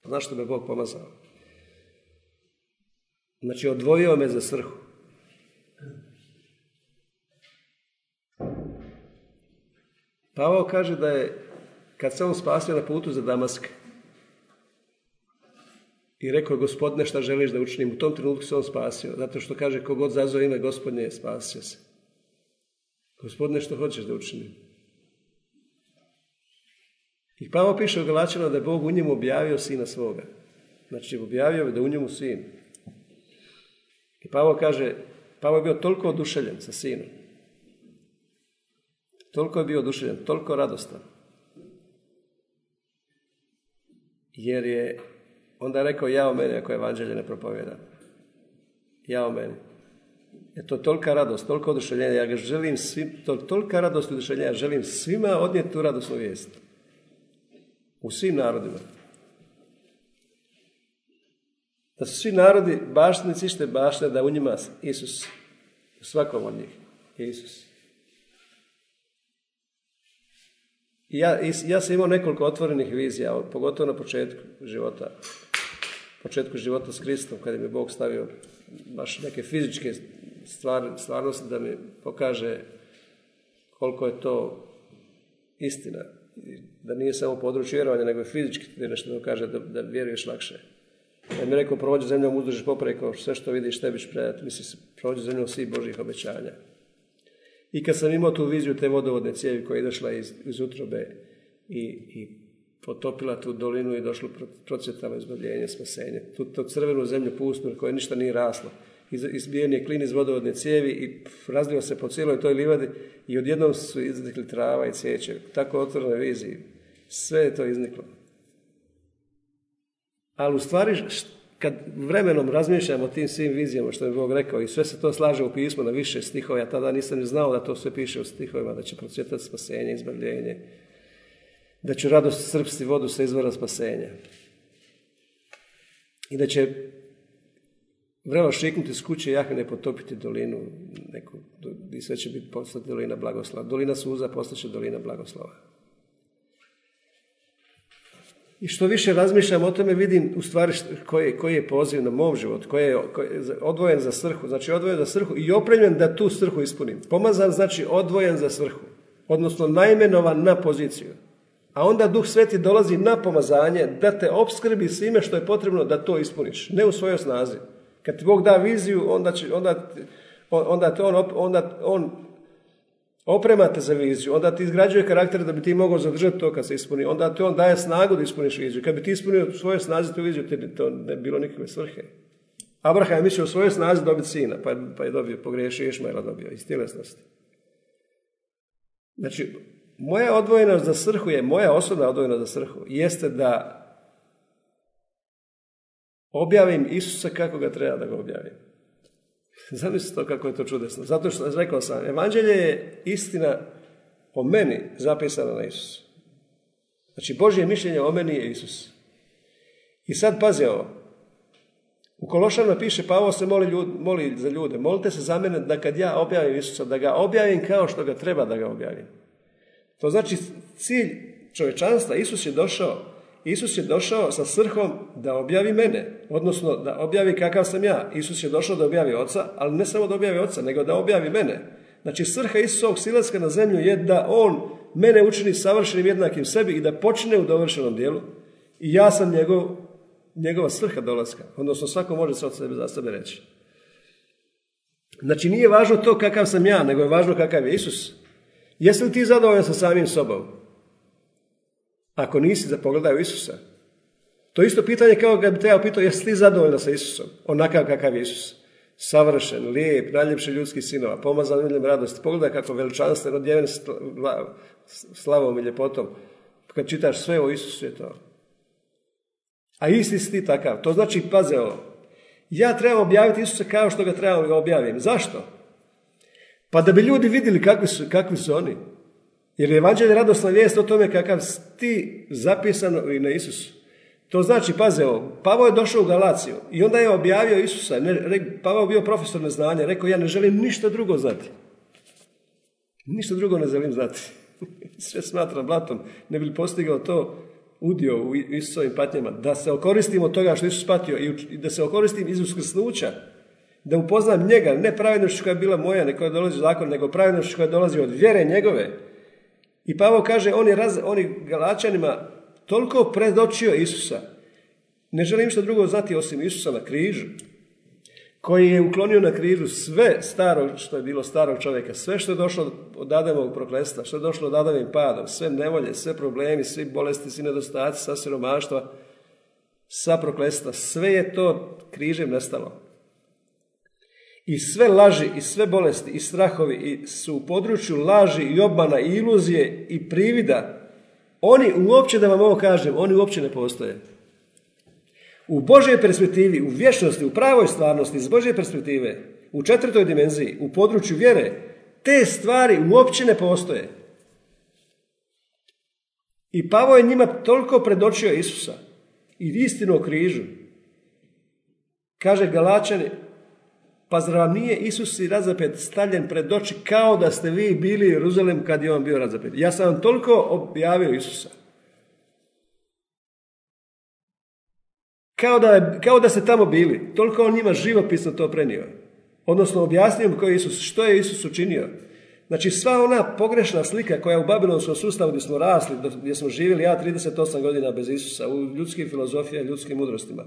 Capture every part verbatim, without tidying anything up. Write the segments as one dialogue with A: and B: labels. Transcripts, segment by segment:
A: Znaš što me Bog pomazao? Znači, odvojio me za svrhu. Pavao kaže da je, kad se on spasio na putu za Damask, i rekao, Gospodine, šta želiš da učinim? U tom trenutku se on spasio, zato što kaže, kogod zazove ime Gospodnje, spasio se. Gospodine, što hoćeš da učinim? I Pavao piše u Galačanima da je Bog u njemu objavio sina svoga. Znači, objavio je da u njemu sin. I Pavao kaže, Pavao je bio toliko oduševljen sa sinom. Toliko je bio oduševljen, toliko radostan. Jer je onda je rekao, ja o meni ako evanđelje ne propovijedam. Ja o meni. Je to tolika radost, toliko oduševljenja. Ja ga želim svim, to, tolika radost i oduševljenja. Ja želim svima odnijeti tu radosnu vijest. U svim narodima. Da su svi narodi baštinici ište baštine, da u njima Isus, u svakom od njih je Isus. I ja, ja sam imao nekoliko otvorenih vizija, pogotovo na početku života. početku života s Kristom, kada mi je Bog stavio baš neke fizičke stvar, stvarnosti da mi pokaže koliko je to istina. Da nije samo područje vjerovanja, nego je fizički nešto da kaže da, da vjeruješ lakše. Ja mi je rekao, prođi zemljom uzdužiš popreko, sve što vidiš tebi ćeš predati, misli, prođi zemljom svih Božjih obećanja. I kad sam imao tu viziju te vodovodne cijevi koja je došla iz, iz utrobe i, i potopila tu dolinu i došlo procvjetalo izbavljenje, spasenje. Tu, tu crvenu zemlju pustu na kojoj ništa nije raslo. Iz, izbijen je klin iz vodovodne cijevi i razlio se po cijeloj toj livadi i odjednom su iznikli trava i cvijeće. Tako otvorene viziji. Sve je to izniklo. Ali u stvari, kad vremenom razmišljam o tim svim vizijama što je Bog rekao i sve se to slaže u pismu na više stihova, ja tada nisam ni znao da to sve piše u stihovima, da će procvjetati spasenje, izbavljenje, da će radost crpsti vodu sa izvora spasenja i da će vrelo šiknuti s kuće Jahvine potopiti dolinu neku, i sve će biti postati dolina blagoslova. Dolina suza postaće dolina blagoslova. I što više razmišljam o tome, vidim u stvari koji, koji je poziv na mom životu, koji je, koji je odvojen za svrhu, znači odvojen za svrhu i opremljen da tu svrhu ispunim. Pomazan znači odvojen za svrhu, odnosno naimenovan na poziciju. A onda Duh Sveti dolazi na pomazanje da te opskrbi svime što je potrebno da to ispuniš, ne u svojoj snazi. Kad ti Bog da viziju, onda, će, onda, onda, te on, onda on oprema te za viziju, onda ti izgrađuje karakter da bi ti mogao zadržati to kad se ispuni, onda ti on daje snagu da ispuniš viziju. Kad bi ti ispunio u svojoj snazi tu viziju, to ne bi bilo nikakve svrhe. Abraham je mislio u svojoj snazi dobiti sina, pa je, pa je dobio, pogriješio Išmaela dobio iz tjelesnosti. Znači, moja odvojenost za svrhu je, moja osobna odvojenost za svrhu, jeste da objavim Isusa kako ga treba da ga objavim. Zamislite to kako je to čudesno. Zato što, rekao sam, evanđelje je istina o meni zapisana na Isusu. Znači, Božje mišljenje o meni je Isus. I sad pazi ovo. U Kološanima piše, Pavao se moli, ljud, moli za ljude. Molite se za mene da kad ja objavim Isusa, da ga objavim kao što ga treba da ga objavim. To znači cilj čovječanstva. Isus je došao Isus je došao sa svrhom da objavi mene, odnosno da objavi kakav sam ja. Isus je došao da objavi Oca, ali ne samo da objavi Oca, nego da objavi mene. Znači, svrha Isusovog silaska na zemlju je da On mene učini savršenim jednakim sebi i da počne u dovršenom dijelu i ja sam njegov, njegova svrha dolaska. Odnosno, svako može se od sebe za sebe reći. Znači, nije važno to kakav sam ja, nego je važno kakav je Isus. Jesi li ti zadovoljan sa samim sobom? Ako nisi, da pogledaj u Isusa. To je isto pitanje kao kad bi te ja pitao, jesi ti zadovoljna sa Isusom? Onakav kakav je Isus. Savršen, lijep, najljepši ljudski sinova, pomazan miljem radosti. Pogledaj kako veličanstveno, odjeven slavom i ljepotom. Kad čitaš sve o Isusu je to. A isti si ti takav. To znači, paze ovo. Ja trebam objaviti Isusa kao što ga trebam ga objavim. Zašto? Pa da bi ljudi vidjeli kakvi su, kakvi su oni. Jer je evanđelje radosna vijest o tome kakav ti zapisano i na Isusu. To znači, paze ovo, Pavao je došao u Galaciju i onda je objavio Isusa. Ne, Pavao bio profesor neznanja, rekao, ja ne želim ništa drugo znati. Ništa drugo ne želim znati. Sve smatram blatom, ne bi li postigao to udio u Isusovim patnjama, da se okoristim od toga što Isus patio i da se okoristim iz uskrsnuća, da upoznam njega, ne pravednošću koja je bila moja, ne koja dolazi u zakon, nego pravednošću koja dolazi od vjere njegove. I Pavao kaže, on je, raz, on je Galačanima toliko predočio Isusa. Ne želim što drugo znati osim Isusa na križu, koji je uklonio na križu sve staro što je bilo starog čovjeka, sve što je došlo od Adamovog prokletstva, što je došlo od Adamim padom, sve nevolje, sve problemi, svi bolesti, svi nedostaci, sva siromaštva, sva prokletstva, sve je to križem nestalo. I sve laži, i sve bolesti, i strahovi i su u području laži i obmana, i iluzije, i privida. Oni uopće, da vam ovo kažem, oni uopće ne postoje. U Božoj perspektivi, u vječnosti, u pravoj stvarnosti, iz Božje perspektive, u četvrtoj dimenziji, u području vjere, te stvari uopće ne postoje. I Pavao je njima toliko predočio Isusa i istinu o križu. Kaže Galačani, pa zar vam nije Isus i razapet stavljen pred oči kao da ste vi bili u Jeruzalem kad je on bio razapet? Ja sam vam toliko objavio Isusa. Kao da, kao da ste tamo bili. Toliko on njima živopisno to prenio. Odnosno objasnio im ko je Isus, što je Isus učinio. Znači sva ona pogrešna slika koja je u babilonskom sustavu gdje smo rasli, gdje smo živjeli ja trideset osam godina bez Isusa, u ljudskim filozofijama, ljudskim mudrostima.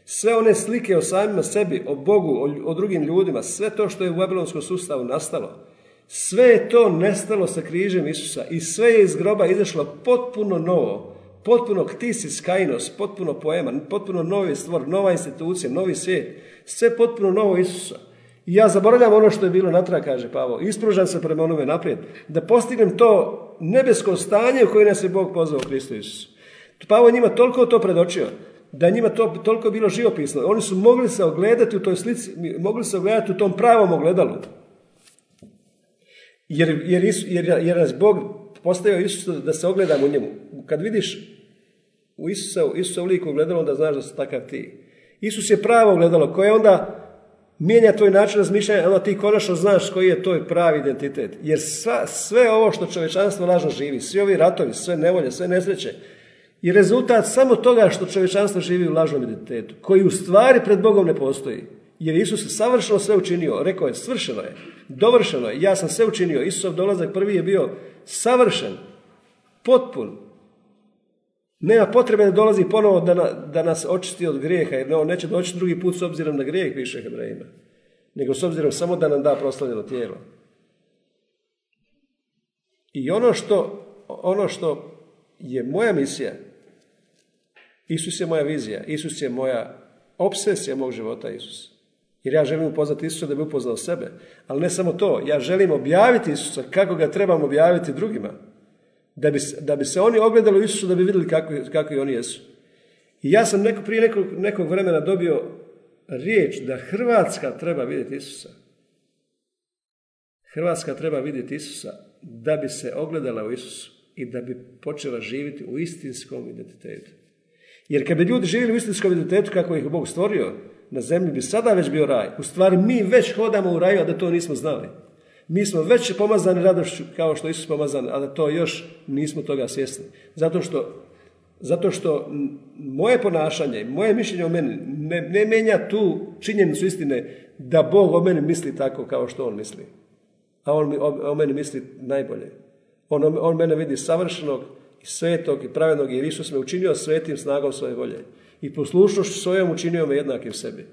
A: Sve one slike o samima sebi, o Bogu, o, o drugim ljudima, sve to što je u babilonskom sustavu nastalo, sve je to nestalo sa križem Isusa i sve je iz groba izašlo potpuno novo, potpuno ktisis kainos, potpuno poema, potpuno novi stvor, nova institucija, novi svijet, sve potpuno novo Isusa. I ja zaboravljam ono što je bilo natrag, kaže Pavao, ispružam se prema onome naprijed, da postignem to nebesko stanje u koje nas je Bog pozvao u Kristu Isusu. Pavao njima toliko to predočio, da njima to toliko bilo živopisno. Oni su mogli se ogledati u toj slici, mogli se ogledati u tom pravom ogledalu. Jer, jer, jer, jer nas Bog postavio Isusa da se ogledamo u njemu. Kad vidiš u Isusa, Isusa u liku ogledalo, onda znaš da si takav ti. Isus je pravo ogledalo koje onda mijenja tvoj način razmišljanja, onda ti konačno znaš koji je tvoj pravi identitet. Jer sva, sve ovo što čovječanstvo lažno živi, svi ovi ratovi, sve nevolje, sve nesreće, je rezultat samo toga što čovječanstvo živi u lažnom identitetu, koji u stvari pred Bogom ne postoji. Jer Isus je savršeno sve učinio, rekao je, svršeno je, dovršeno je, ja sam sve učinio. Isusov dolazak prvi je bio savršen, potpun. Nema potrebe da dolazi ponovo da, na, da nas očisti od grijeha, jer on neće doći drugi put s obzirom na grijeh više Hebrejima, nego s obzirom samo da nam da proslavljeno tijelo. I ono što, ono što je moja misija, Isus je moja vizija, Isus je moja obsesija mog života, Isus. Jer ja želim upoznati Isusa da bi upoznao sebe. Ali ne samo to, ja želim objaviti Isusa kako ga trebam objaviti drugima. Da bi, da bi se oni ogledali u Isusu, da bi vidjeli kakvi, kakvi oni jesu. I ja sam neko, prije nekog, nekog vremena dobio riječ da Hrvatska treba vidjeti Isusa. Hrvatska treba vidjeti Isusa da bi se ogledala u Isusu i da bi počela živjeti u istinskom identitetu. Jer kad bi ljudi živjeli u istinskom identitetu kako ih Bog stvorio, na zemlji bi sada već bio raj. U stvari mi već hodamo u raju, a da to nismo znali. Mi smo već pomazani radošću kao što Isus pomazan, a da to još nismo toga svjesni. Zato što, zato što moje ponašanje, moje mišljenje o meni ne, ne mijenja tu činjenicu istine da Bog o meni misli tako kao što On misli. A On o, o meni misli najbolje. On, on mene vidi savršenog i svetog i pravednog, jer Isus me učinio svetim snagom svoje volje. I poslušnošću svojom učinio me jednakim sebi.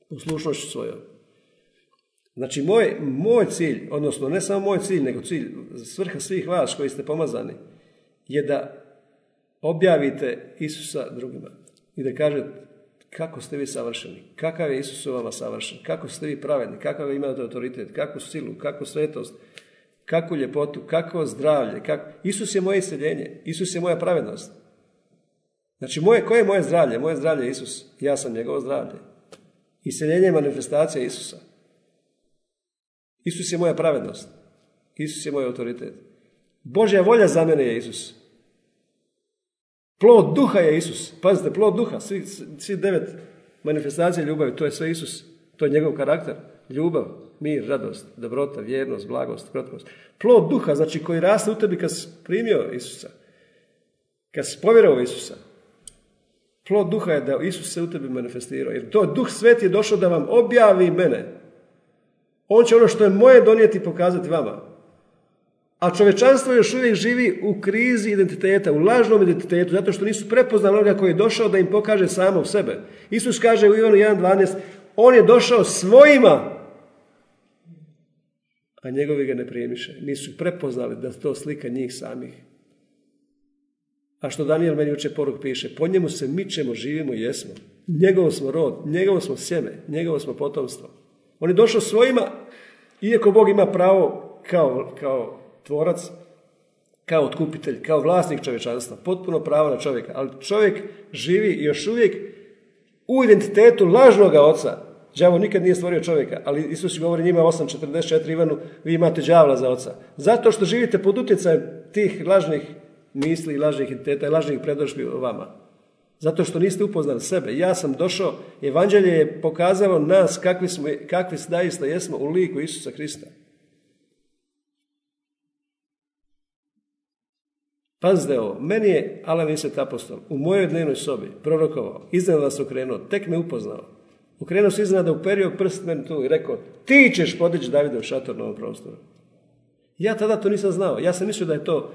A: Poslušnošću svojom. Znači, moj, moj cilj, odnosno ne samo moj cilj, nego cilj, svrha svih vas koji ste pomazani, je da objavite Isusa drugima. I da kažete kako ste vi savršeni, kakav je Isus u vama savršen, kako ste vi pravedni, kakav imate autoritet, kakvu silu, kakvu svetost, kakvu ljepotu, kakvo zdravlje. Kak... Isus je moje isceljenje, Isus je moja pravednost. Znači, moje, koje je moje zdravlje? Moje zdravlje je Isus, ja sam njegovo zdravlje. Isceljenje je manifestacija Isusa. Isus je moja pravednost. Isus je moj autoritet. Božja volja za mene je Isus. Plod duha je Isus. Pazite, plod duha, svi, svi devet manifestacija ljubavi, to je sve Isus. To je njegov karakter. Ljubav, mir, radost, dobrota, vjernost, blagost, krotkost. Plod duha, znači koji raste u tebi kad si primio Isusa. kad si povjerovao Isusa, plod duha je da Isus se u tebi manifestirao. Jer to Duh Sveti je došao da vam objavi mene. On će ono što je moje donijeti i pokazati vama. A čovečanstvo još uvijek živi u krizi identiteta, u lažnom identitetu, zato što nisu prepoznali onoga koji je došao da im pokaže samog sebe. Isus kaže u Ivanu jedan dvanaest, on je došao svojima, a njegovi ga ne primiše. Nisu prepoznali da to slika njih samih. A što Danijel meni jučer poruk piše, po njemu se mičemo, živimo i jesmo. Njegov smo rod, njegovo smo sjeme, njegovo smo potomstvo. On je došao svojima, iako Bog ima pravo kao, kao tvorac, kao otkupitelj, kao vlasnik čovječanstva, potpuno pravo na čovjeka, ali čovjek živi još uvijek u identitetu lažnoga oca. Đavo nikad nije stvorio čovjeka, ali Isus govori njima osam četrdeset četiri Ivanu, vi imate đavla za oca. Zato što živite pod utjecajem tih lažnih misli, lažnih identiteta i lažnih predodžbi o vama. Zato što niste upoznali sebe. Ja sam došao, evanđelje je pokazalo nas kakvi, smo, kakvi zaista jesmo u liku Isusa Krista. Pazite ovo, meni je Alan Vincent apostol u mojoj dnevnoj sobi prorokovao, iznenada se okrenuo, tek me upoznao. Okrenuo se iznenada, uperio prst meni tu i rekao, ti ćeš podići Davidov šator na ovom prostoru. Ja tada to nisam znao. Ja sam mislio da je to,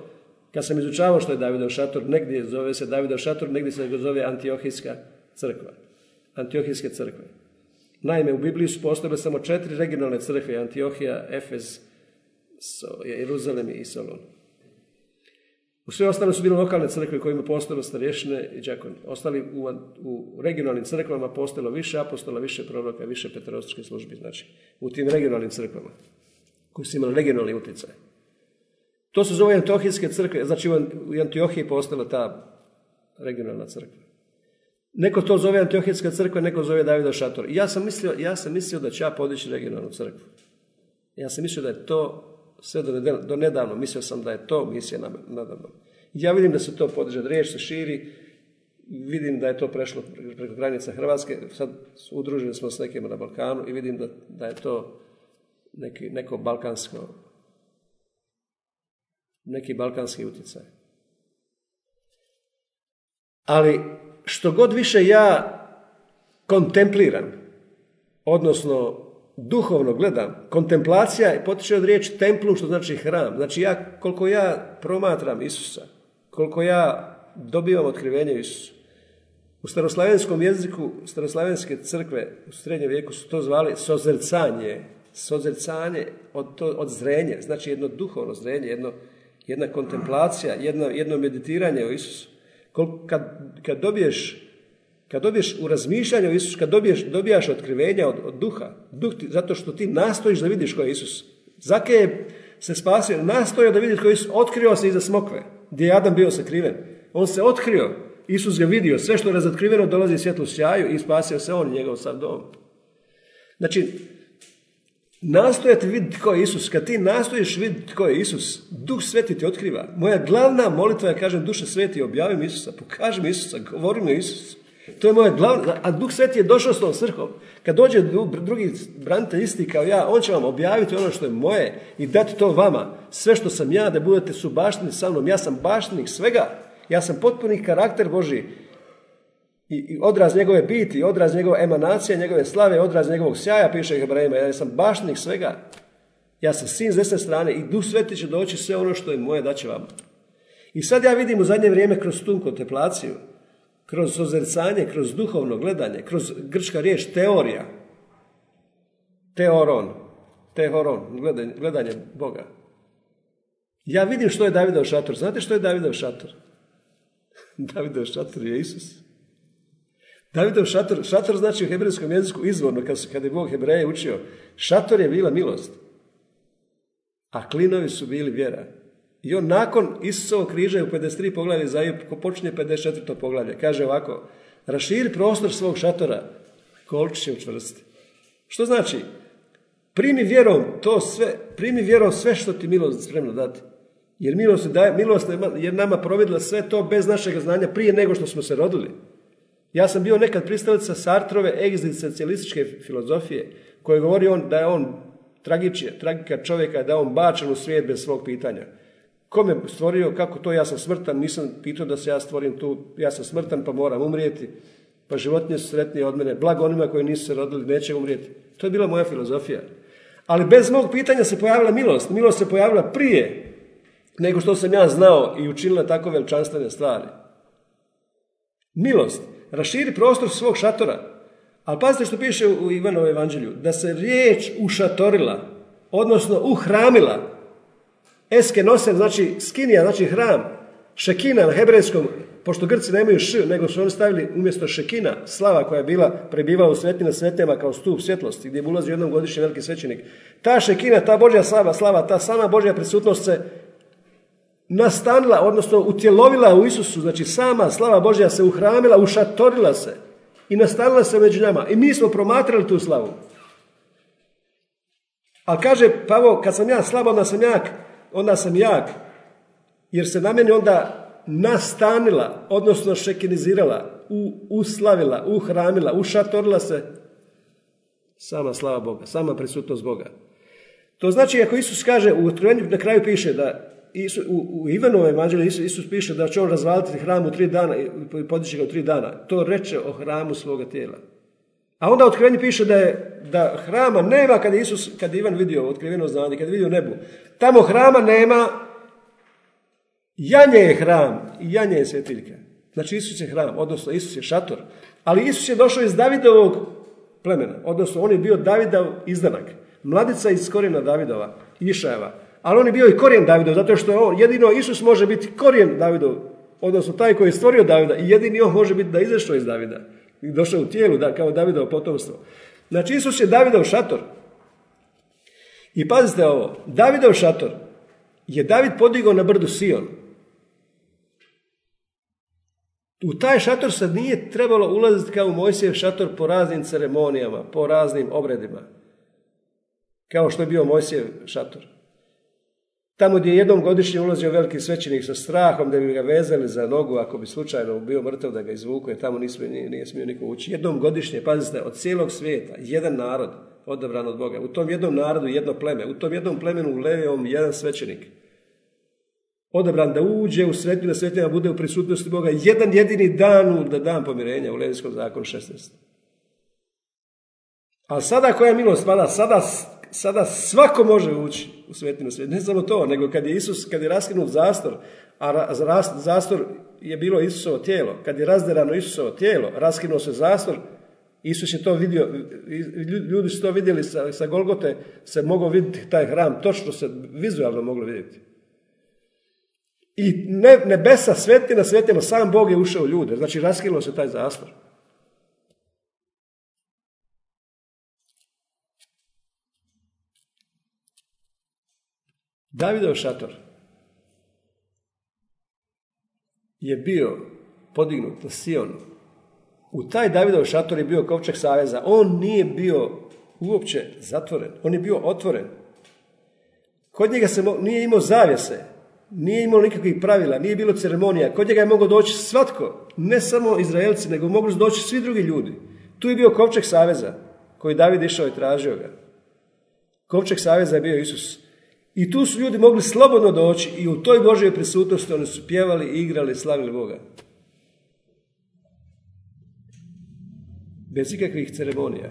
A: kad sam izučavao što je Davidov šator, negdje zove se Davidov šator, negdje se ga zove Antiohijska crkva. Antiohijske crkve. Naime, u Bibliji su postojale samo četiri regionalne crkve, Antiohija, Efez, Jeruzalem i Solon. U sve ostale su bile lokalne crkve kojima postojalo starješine i đakoni. Ostali u, u regionalnim crkvama postojalo više apostola, više proroka, više peterostičke službi. Znači, u tim regionalnim crkvama koji su imali regionalni utjecaj. To se zove Antiohijske crkve, znači u Antiohiji postojala ta regionalna crkva. Neko to zove Antiohijska crkva, neko zove Davidov šator. Ja sam mislio, ja sam mislio da će ja podići regionalnu crkvu. Ja sam mislio da je to sve do, nedavno, do nedavno, mislio sam da je to misija nadavno. Ja vidim da se to podiže, da riječ se širi, vidim da je to prešlo preko granica Hrvatske, sad udruženi smo s nekima na Balkanu i vidim da, da je to neki, neko balkansko, neki balkanski utjecaj. Ali što god više ja kontempliram, odnosno duhovno gledam, kontemplacija potiče od riječi templum, što znači hram. Znači ja, koliko ja promatram Isusa, koliko ja dobivam otkrivenje u Isusu. U staroslavenskom jeziku, staroslavenske crkve u srednjem vijeku su to zvali sozrcanje, sozrcanje od, to, od zrenje, znači jedno duhovno zrenje, jedno, jedna kontemplacija, jedno, jedno meditiranje o Isusu. Kad, kad dobiješ Kad dobiješ u razmišljanju o Isusu, kad dobiješ, dobijaš otkrivenja od, od duha, duh ti, zato što ti nastojiš da vidiš ko je Isus. Zake je se spasio, nastojao da vidi ko je Isus, otkrio se iza smokve, gdje je Adam bio sakriven. On se otkrio, Isus ga vidio, sve što je razotkriveno dolazi svjetlu sjaju i spasio se on i njegov sav dom. Znači, nastojati vidjeti ko je Isus, kad ti nastojiš vidjeti ko je Isus, Duh Sveti ti otkriva. Moja glavna molitva je, kažem, Duše Sveti, objavi mi Isusa, pokaži mi Isusa, govori mi o Isusu. To je moje glavno, a Duh Sveti je došao s tom svrhom. Kad dođe drugi branitelj isti kao ja, on će vam objaviti ono što je moje i dati to vama. Sve što sam ja, da budete su baštini sa mnom. Ja sam baštinik svega. Ja sam potpuni karakter Božji. I, i odraz njegove biti, odraz njegove emanacije, njegove slave, odraz njegovog sjaja, piše Hebrejima. Ja sam baštinik svega. Ja sam sin s desne strane i Duh Sveti će doći sve ono što je moje, daće vama. I sad ja vidim u zadnje vrijeme kroz tu kontemplaciju, kroz sozrcanje, kroz duhovno gledanje, kroz grčka riječ teorija, teoron, tehoron, gledanje, gledanje Boga. Ja vidim što je Davidov šator. Znate što je Davidov šator? Davidov šator je Isus. Davidov šator, šator znači u hebrejskom jeziku izvorno, kad, kad je Bog Hebreje učio, šator je bila milost, a klinovi su bili vjera. I on nakon Isusovog križa u pedeset tri poglavlje, ko počinje pedeset četvrto poglavlje, kaže ovako, raširi prostor svog šatora, kolčić će učvrstiti. Što znači? Primi vjerom to sve, primi vjerom sve što ti milost spremno dati. Jer milost, daje, milost je nama providila sve to bez našeg znanja prije nego što smo se rodili. Ja sam bio nekad pristalica Sartrove egzistencialističke filozofije, koje govori on da je on tragičija, tragika čovjeka, da je on bačen u svijet bez svog pitanja. Ko me stvorio, kako to, ja sam smrtan, nisam pitao da se ja stvorim tu, ja sam smrtan pa moram umrijeti, pa životinje su sretnije od mene, blago onima koji nisu se rodili, neće umrijeti. To je bila moja filozofija. Ali bez mog pitanja se pojavila milost. Milost se pojavila prije nego što sam ja znao i učinila tako veličanstvene stvari. Milost. Raširi prostor svog šatora. Ali pazite što piše u Ivanovom evanđelju. Da se riječ ušatorila, odnosno uhramila. Eske nosen, znači skinija, znači hram. Šekina na hebrejskom, pošto Grci nemaju š, nego su oni stavili umjesto šekina, slava koja je bila prebivala u svetina svetema kao stup svjetlosti, gdje je ulazio jednom godišnji veliki svećenik. Ta šekina, ta Božja slava, slava, ta sama Božja prisutnost se nastanila, odnosno utjelovila u Isusu, znači sama slava Božja se uhramila, ušatorila se i nastanila se među nama. I mi smo promatrali tu slavu. Ali kaže Pavao, kad sam ja slab, onda sam jak, onda sam jak, jer se na meni onda nastanila, odnosno šekinizirala, u, uslavila, uhramila, ušatorila se sama slava Boga, sama prisutnost Boga. To znači, ako Isus kaže, u Otkrivenju na kraju piše da Isus, u, u Ivanovom evanđelju Isus, Isus piše da će on razvaliti hram u tri dana i podići ga u tri dana. To reče o hramu svoga tijela. A onda u Otkrivenju piše da, je, da hrama nema kad je Isus, kad je Ivan vidio otkriveno znanje, kad je vidio nebu. Tamo hrama nema. Janje je hram i janje je svjetiljka. Znači Isus je hram, odnosno Isus je šator. Ali Isus je došao iz Davidovog plemena, odnosno on je bio Davidov izdanak. Mladica iz korijena Davidova, Išajeva. Ali on je bio i korijen Davidov, zato što je on, jedino Isus može biti korijen Davidov, odnosno taj koji je stvorio Davida i jedini on može biti da izašao iz Davida i došao u tijelu da, kao Davidovo potomstvo. Znači Isus je Davidov šator. I pazite ovo, Davidov šator je David podigao na brdu Sion. U taj šator sad nije trebalo ulaziti kao u Mojsijev šator po raznim ceremonijama, po raznim obredima, kao što je bio Mojsijev šator. Tamo gdje je jednom godišnje ulazio veliki svećenik sa strahom da bi ga vezali za nogu ako bi slučajno bio mrtav da ga izvuku, jer tamo nismo, nije, nije smio niko ući. Jednom godišnje, pazite, od cijelog svijeta, jedan narod odabran od Boga. U tom jednom narodu jedno pleme, u tom jednom plemenu u Levijevom jedan svećenik. Odabran da uđe u svetinu, da svetina bude u prisutnosti Boga jedan jedini dan, da dan pomirenja u Levijskom zakonu šesnaest. Ali sada koja je milost, sada, sada svako može ući u svetinu svetinu. Ne samo to, nego kad je Isus, kad je raskinut zastor, a ras, zastor je bilo Isusovo tijelo, kad je razderano Isusovo tijelo, raskinuo se zastor, Isus je to vidio, ljudi su to vidjeli sa, sa Golgote, se mogao vidjeti taj hram, točno se vizualno moglo vidjeti. I ne, nebesa svetina, svetima, sam Bog je ušao u ljude, znači raskinuo se taj zastor. Davidov šator je bio podignut na Sionu. U taj Davidov šator je bio kovčeg saveza. On nije bio uopće zatvoren, on je bio otvoren. Kod njega se mo- nije imao zavjese, nije imao nikakvih pravila, nije bilo ceremonija. Kod njega je mogao doći svatko, ne samo Izraelci, nego mogli su doći svi drugi ljudi. Tu je bio kovčeg saveza koji David išao i tražio ga. Kovčeg saveza je bio Isus. I tu su ljudi mogli slobodno doći i u toj Božjoj prisutnosti oni su pjevali, igrali, slavili Boga. Bez ikakvih ceremonija.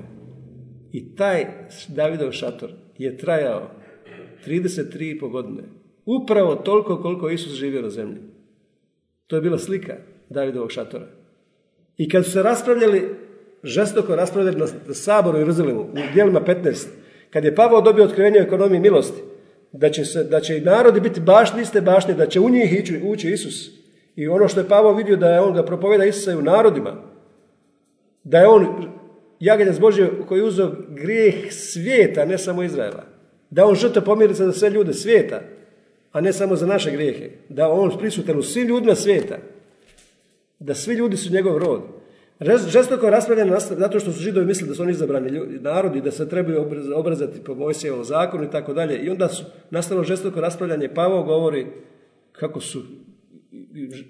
A: I taj Davidov šator je trajao trideset tri i pol godine. Upravo toliko koliko Isus živio na zemlji. To je bila slika Davidovog šatora. I kad su se raspravljali, žestoko raspravljali na saboru u Jeruzalemu, u djelima petnaest, kad je Pavao dobio otkrivenje o ekonomiji milosti, da će, se, da će i narodi biti bašni iste bašni, da će u njih ići, ući Isus. I ono što je Pavao vidio da je on ga propoveda Isusa i u narodima, da je on jaganjac Božji koji je uzeo grijeh svijeta, ne samo Izraela. Da on žrtva pomirnica za sve ljude svijeta, a ne samo za naše grijehe. Da on prisutan u svim ljudima svijeta. Da svi ljudi su njegov rod. Žestoko raspravljeno zato što su Židovi mislili da su oni izabrani ljudi, narodi, da se trebaju obrazati po Mojsijevom zakonu i tako dalje. I onda su nastalo žestoko raspravljanje. Pavao govori kako su,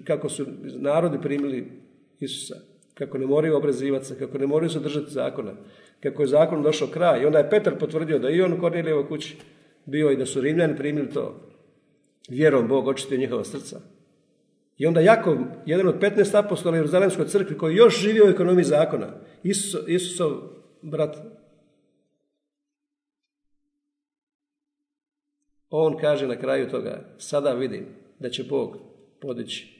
A: kako su narodi primili Isusa. Kako ne moraju obrazivati se, kako ne moraju se držati zakona. Kako je zakon došao kraj. I onda je Petar potvrdio da i on u Kornelijevoj kući bio i da su Rimljani primili to. Vjerom Bog očistio njihova srca. I onda Jakov, jedan od petnaest apostola u Jeruzalemskoj crkvi, koji još živio u ekonomiji zakona, Isus, Isusov brat, on kaže na kraju toga, sada vidim da će Bog podići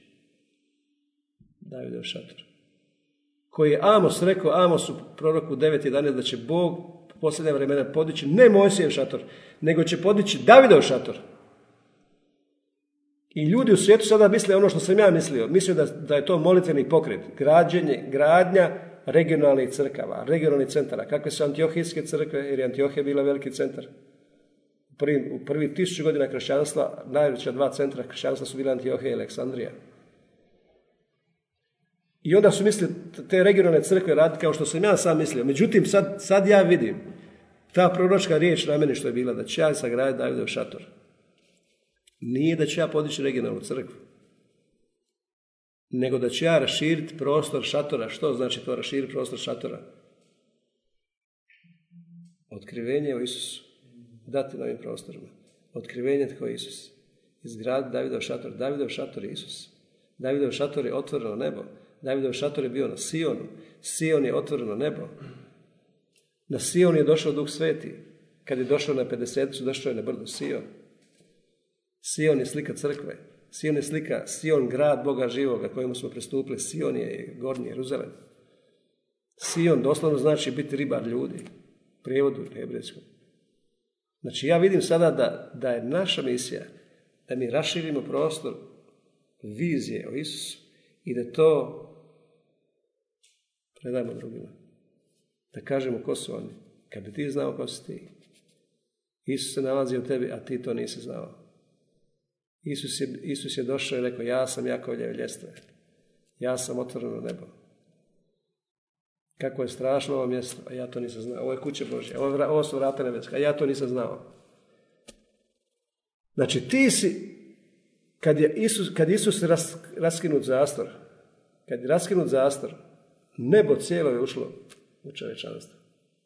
A: Davidov šator. Koji je Amos rekao, Amos u proroku devet jedanaest, da će Bog u posljednje vremena podići ne Mojsijev šator, nego će podići Davidov šator. I ljudi u svijetu sada misle ono što sam ja mislio. Mislio da, da je to molitveni pokret, građenje, gradnja regionalnih crkava, regionalnih centara. Kakve su antiohijske crkve, jer je Antiohija bila veliki centar. U prvi, u prvi tisuću godina kršćanstva, najveća dva centra kršćanstva su bila Antiohija i Aleksandrija. I onda su mislili te regionalne crkve raditi kao što sam ja sam mislio. Međutim, sad, sad ja vidim ta proročka riječ na meni što je bila, da će ja sagraditi Davidov šator. Nije da ću ja podići regionalnu crkvu, nego da ću ja raširiti prostor šatora. Što znači to raširiti prostor šatora? Otkrivenje o Isusu. Dati na ovim prostorima. Otkrivenje tko je Isus. Izgraditi Davidov šator. Davidov šator je Isus. Davidov šator je otvoreno nebo. Davidov šator je bio na Sionu. Sion je otvoreno nebo. Na Sion je došao Duh Sveti. Kad je došao na pedeseticu, došao je na brdo Sion. Sion je slika crkve. Sion je slika, Sion grad Boga živoga kojemu smo pristupili. Sion je gornji Jeruzalem. Sion doslovno znači biti ribar ljudi. Prijevodu hebrejskom. Znači ja vidim sada da, da je naša misija da mi raširimo prostor vizije o Isusu i da to predajemo drugima. Da kažemo ko su oni. Kad bi ti znao ko si ti. Isus se nalazi u tebi, a ti to nisi znao. Isus je, Isus je došao i rekao, ja sam Jakovljev ljestve. Ja sam otvoreno nebo. Kako je strašno ovo mjesto, a ja to nisam znao. Ovo je kuće Božje, ovo, ovo su vrata nebeska, a ja to nisam znao. Znači ti si, kad je Isus, kad Isus ras, raskinut zastor, kad je raskinut zastor, nebo cijelo je ušlo u čovječanstvo.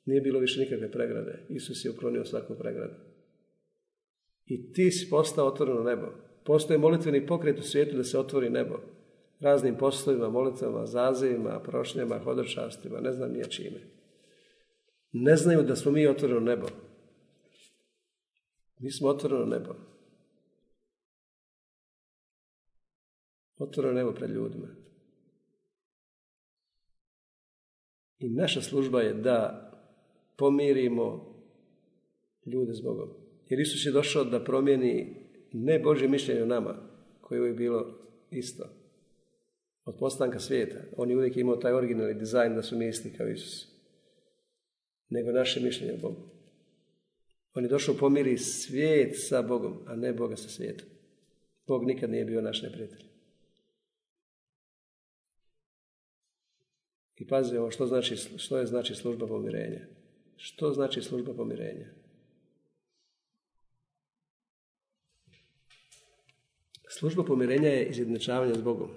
A: Nije bilo više nikakve pregrade. Isus je uklonio svaku pregradu. I ti si postao otvoreno nebo. Postoje molitveni pokret u svijetu da se otvori nebo. Raznim poslovima, molitvama, zazivima, prošnjama, hodočastima, ne znam nije čime. Ne znaju da smo mi otvoreno nebo. Mi smo otvoreno nebo. Otvoreno nebo pred ljudima. I naša služba je da pomirimo ljude s Bogom. Jer Isus je došao da promijeni ne Božje mišljenje o nama, koje je uvijek bilo isto. Od postanka svijeta. On je uvijek imao taj originalni dizajn da su mi isti kao Isus. Nego naše mišljenje o Bogu. On je došao pomiri svijet sa Bogom, a ne Boga sa svijetom. Bog nikad nije bio naš neprijatelj. I pazi ovo što, znači, što je znači služba pomirenja. Što znači služba pomirenja? Služba pomirenja je izjednačavanje s Bogom.